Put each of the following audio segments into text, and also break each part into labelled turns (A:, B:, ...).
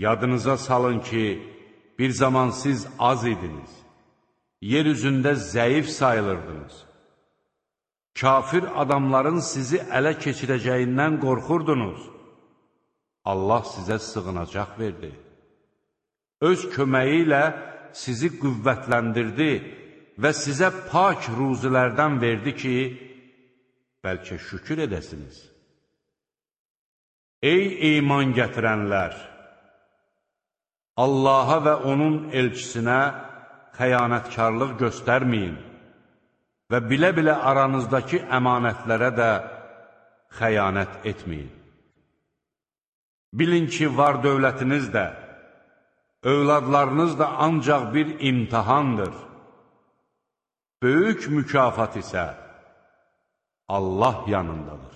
A: Yadınıza salın ki, bir zaman siz az idiniz, yer üzündə zəif sayılırdınız. Kafir adamların sizi ələ keçirəcəyindən qorxurdunuz. Allah sizə sığınacaq verdi. Öz köməyi ilə sizi qüvvətləndirdi və sizə pak ruzilərdən verdi ki, bəlkə şükür edəsiniz. Ey iman gətirənlər! Allaha və onun elçisinə xəyanətkarlıq göstərməyin və bilə-bilə aranızdakı əmanətlərə də xəyanət etməyin. Bilin ki, var dövlətiniz də, övladlarınız da ancaq bir imtihandır. Böyük mükafat isə Allah yanındadır.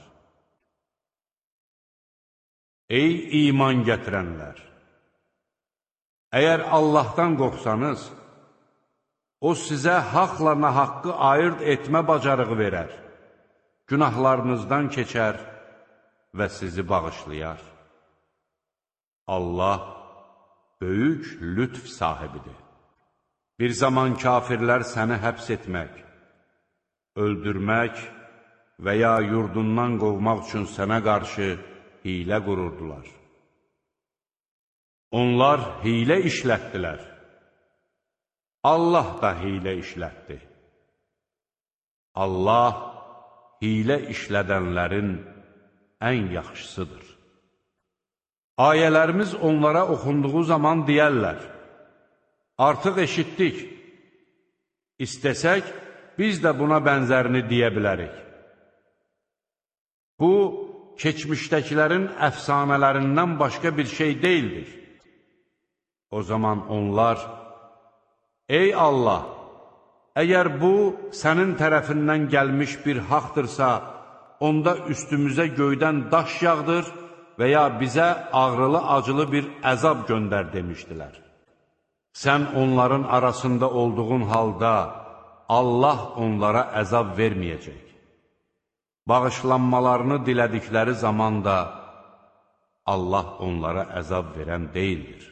A: Ey iman gətirənlər! Əgər Allahdan qorxsanız, O sizə haqla nahaqqı ayırt etmə bacarığı verər, günahlarınızdan keçər və sizi bağışlayar. Allah böyük lütf sahibidir. Bir zaman kafirlər səni həbs etmək, öldürmək və ya yurdundan qovmaq üçün sənə qarşı hilə qururdular. Onlar hilə işlətdilər. Allah da hilə işlətdi. Allah hilə işlədənlərin ən yaxşısıdır. Ayələrimiz onlara oxunduğu zaman deyərlər, artıq eşitdik, istəsək, biz də buna bənzərini deyə bilərik. Bu, keçmişdəkilərin əfsanələrindən başqa bir şey deyildir. O zaman onlar, ey Allah, əgər bu, sənin tərəfindən gəlmiş bir haqdırsa, onda üstümüzə göydən daş yağdır və ya bizə ağrılı-acılı bir əzab göndər demişdilər. Sən onların arasında olduğun halda Allah onlara əzab verməyəcək. Bağışlanmalarını dilədikləri zaman da Allah onlara əzab verən deyildir.